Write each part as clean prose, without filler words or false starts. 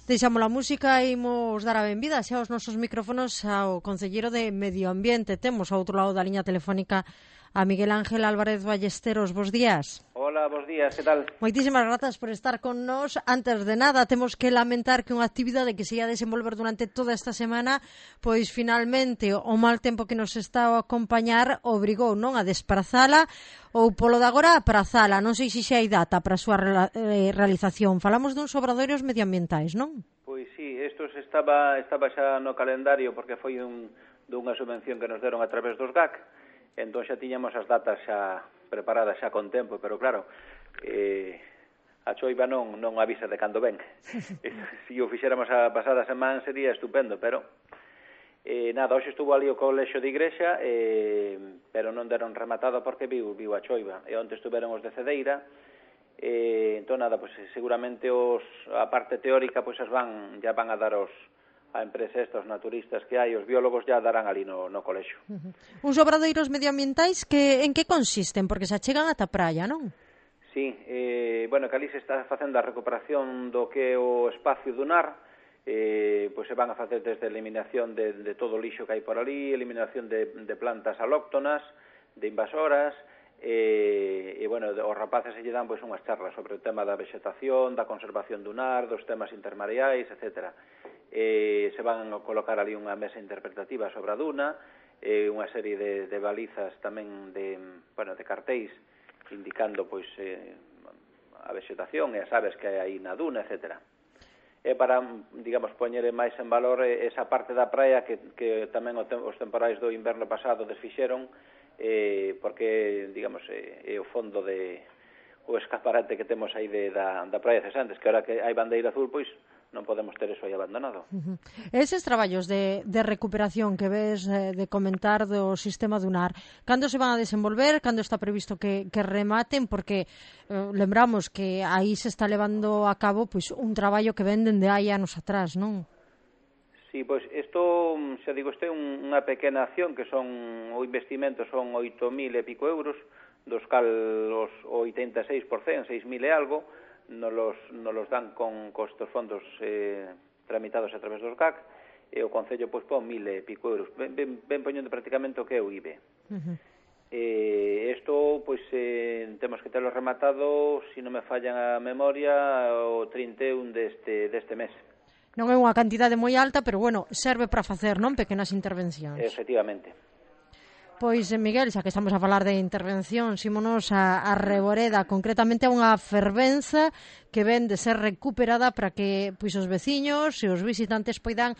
Deixamos a música e imos dar a benvida xa aos nosos micrófonos ao concelleiro de Medio Ambiente. Temos ao outro lado da liña telefónica a Miguel Ángel Álvarez Ballesteros. Bos días. Hola, bos días, que tal? Moitísimas grazas por estar con nós. Antes de nada, temos que lamentar que unha actividade que se ia desenvolver durante toda esta semana, pois finalmente o mal tempo que nos está a acompañar obrigou non a desprazala ou polo de agora a prazala. Non sei se xa hai data para a súa realización. Falamos duns obradoiros medioambientais, non? Pois sí, isto estaba xa no calendario porque foi dunha subvención que nos deron a través dos GAC. Entón xa tiñamos as datas xa preparadas xa con tempo, pero claro, a choiva non avisa de cando ven. Se o fixéramos a pasada semana sería estupendo, pero nada, hoxe estuvo ali o colexio de igrexa, pero non deron rematado porque viu a choiva. E onte estuveron os de Cedeira, entón nada, pues, seguramente a parte teórica pues, já van a dar a empresa estos naturistas que hai, os biólogos já darán ali no colexio. Uns obradoiros medioambientais que en que consisten? Porque se achegan ata praia, non? Sí, bueno, que ali se está facendo a recuperación do que é o espacio dunar, pois se van a facer desde a eliminación de todo o lixo que hai por ali, eliminación de plantas alóctonas, de invasoras, e bueno, os rapaces se lle dan pois unhas charlas sobre o tema da vegetación, da conservación dunar, dos temas intermareais, etcétera. Se van a colocar ali unha mesa interpretativa sobre a duna, unha serie de balizas tamén de cartéis indicando pois a vegetación e as aves que hai aí na duna, etcétera. É para, digamos, poñer máis en valor esa parte da praia que tamén os temporais do inverno pasado desfixeron, porque, digamos, é o fondo o escaparate que temos aí da praia de Cesantes, que ahora que hai bandeira azul, pois non podemos ter eso aí abandonado. Eses traballos de recuperación que ves de comentar do sistema dunar, cando se van a desenvolver, cando está previsto que rematen, porque lembramos que aí se está levando a cabo pois un traballo que ven dende hai anos atrás, non? Sí, pois isto, xa digo, isto é unha pequena acción que o investimento son 8.000 e pico euros, dos cal o 86%, 6.000 e algo, nos los dan con costos fondos tramitados a través dos GAC, e o Concello pois pon 1.000 e pico euros, ben poñendo prácticamente o que é o IBE. Isto pois temos que terlo rematado, se non me fallan a memoria, o 31 deste mes. Non é unha cantidade moi alta, pero bueno, serve para facer, non, pequenas intervencións. Efectivamente. Pois, Miguel, xa que estamos a falar de intervención, ímonos a Reboreda, concretamente a unha fervenza que ven de ser recuperada para que pois os veciños e os visitantes poidan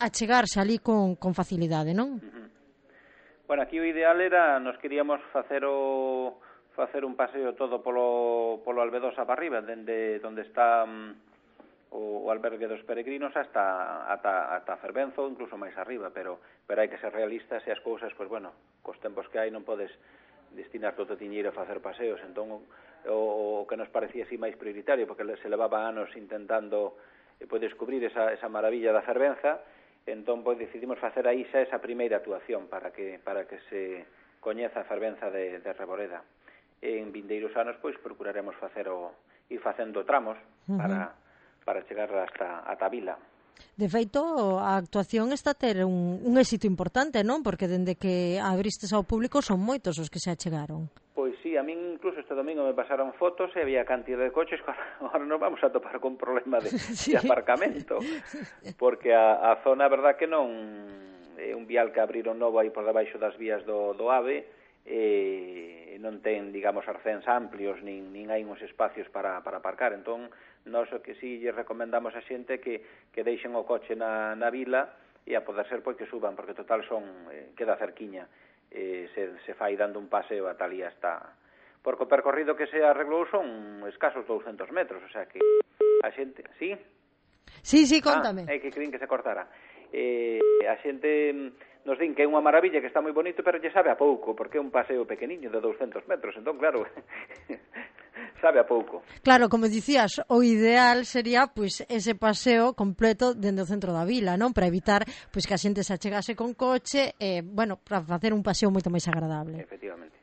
achegarse ali con facilidade, non? Bueno, aquí o ideal era, nos queríamos facer un paseo todo polo Albedosa para arriba, dende onde está o albergue dos peregrinos ata a Fervenzo, incluso máis arriba, pero hai que ser realistas e as cousas, pois bueno, cos tempos que hai non podes destinar todo o tiñeiro a facer paseos, entón o que nos parecía así máis prioritario, porque se levaba anos intentando descubrir esa maravilla da fervenza, entón pois decidimos facer aí xa esa primeira actuación para que se coñeza a fervenza de Reboreda. En vindeiros anos pois procuraremos ir facendo tramos para chegar ata a vila. De feito, a actuación está a ter un éxito importante, non? Porque dende que abristes ao público son moitos os que se achegaron. Pois sí, a min incluso este domingo me pasaron fotos e había cantidad de coches que agora nos vamos a topar con problema de aparcamento, porque a zona, a verdad que non é un vial que abriron novo aí por debaixo das vías do AVE, non ten, digamos, arcéns amplios, nin hai uns espacios para aparcar, entón nós o que si lle recomendamos a xente que deixen o coche na vila e a poder ser pois que suban, porque total queda cerquiña, se fai dando un paseo ata ali hasta, porque o percorrido que se arreglou son escasos 200 metros, o sea que a xente, sí? Sí, contame. É que crin que se cortara. A xente nos din que é unha maravilla, que está moi bonito, pero lle sabe a pouco, porque é un paseo pequeniño de 200 metros, entón claro, sabe a pouco. Claro, como dicías, o ideal sería pois ese paseo completo dentro do centro da vila, non? Para evitar pois que a xente se achegase con coche, bueno, para facer un paseo moito máis agradable. Efectivamente.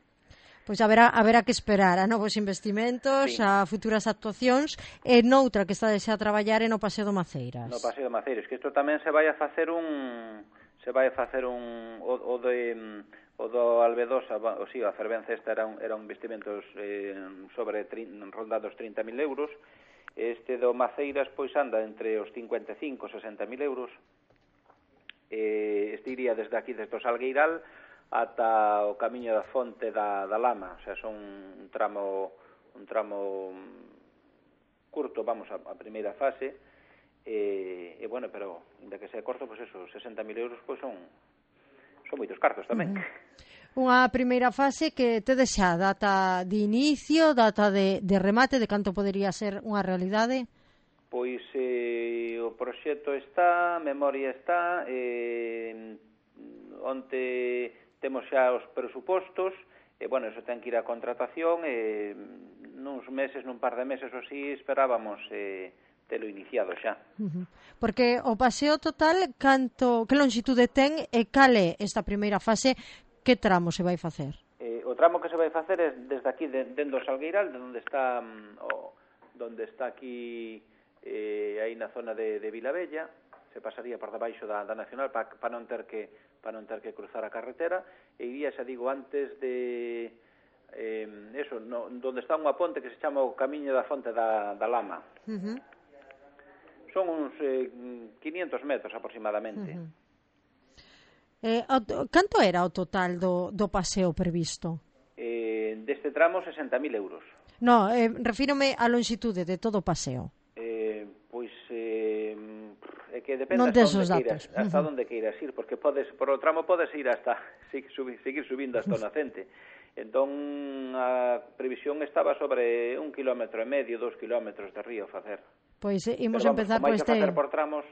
Pois haberá que esperar a novos investimentos, sí, a futuras actuacións, e noutra que está xa a traballar é no Paseo do Maceiras. No Paseo do Maceiras, que isto tamén se vai a facer o do Albedosa, a fervenza esta era un investimentos rondando os 30.000 euros. Este do Maceiras pois anda entre os 55 e 60.000 euros. Este iría desde aquí, desde o Salgueiral ata o camiño da Fonte da Lama, o sea, son un tramo curto, vamos, a primeira fase, bueno, pero ainda que sea corto, pois eso, 60.000 euros pois son moitos cartos tamén. Unha primeira fase que tedes xa data de inicio, data de remate, de canto podería ser unha realidade? Pois o proxecto está, memoria está, onte temos xa os presupostos, bueno, eso ten que ir a contratación, nun par de meses ou así esperábamos telo iniciado xa. Porque o paseo total, que longitude ten e cal é esta primeira fase? Que tramo se vai facer? O tramo que se vai facer é desde aquí, dentro do Salgueiral, de onde está aquí, aí na zona de Vilabella, se pasaría por debaixo da Nacional para non ter que cruzar a carretera, e iría, xa digo, antes de donde está unha ponte que se chama o Camiño da Fonte da Lama. Son uns 500 metros aproximadamente. Canto era o total do paseo previsto? Deste tramo 60.000 euros. No, refírome á longitude de todo o paseo. Pois é que depende hasta onde queiras ir, porque por o tramo podes ir hasta seguir subindo hasta o Nacente. Entón a previsión estaba sobre 1,5 km, 2 km de río facer. Pois imos empezar por este... facer por tramos.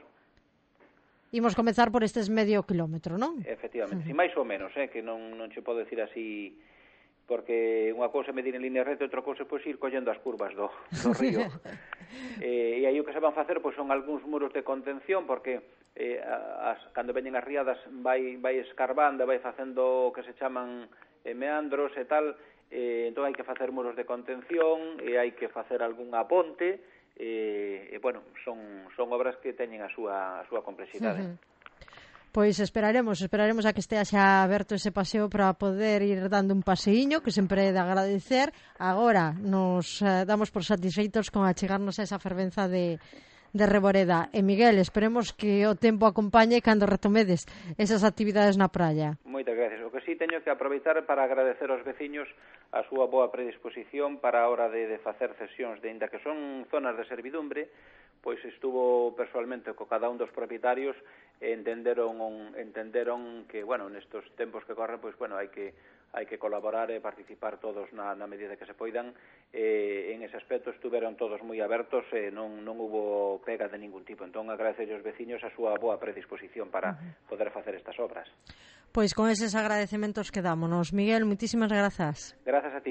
Imos comezar por estes medio kilómetro, non? Efectivamente, si máis ou menos, que non che podo decir así, porque unha cousa é medir en línea recta e outra cousa é pois ir collendo as curvas do río. E aí o que se van facer pois son algúns muros de contención, porque cando veñen as riadas vai escarbando, vai facendo o que se chaman meandros e tal, entón hai que facer muros de contención e hai que facer algunha ponte, bueno, son obras que teñen a súa complexidade. Pois esperaremos a que estea xa aberto ese paseo para poder ir dando un paseíño, que sempre é de agradecer. Agora nos damos por satisfeitos con achegarnos a esa fervenza de Reboreda. E Miguel, esperemos que o tempo acompañe cando retomedes esas actividades na praia. Moitas gracias. O que sí teño que aproveitar para agradecer aos veciños a súa boa predisposición para a hora de facer cesións, de ainda que son zonas de servidumbre, pois estuvo personalmente co cada un dos propietarios e entenderon que, bueno, nestos tempos que corren, pois, bueno, hai que colaborar e participar todos na medida que se poidan. En ese aspecto estuveron todos moi abertos e non hubo pega de ningún tipo. Entón, agradecer aos veciños a súa boa predisposición para poder facer estas obras. Pois con eses agradecementos quedámonos. Miguel, moitísimas grazas. Grazas a ti.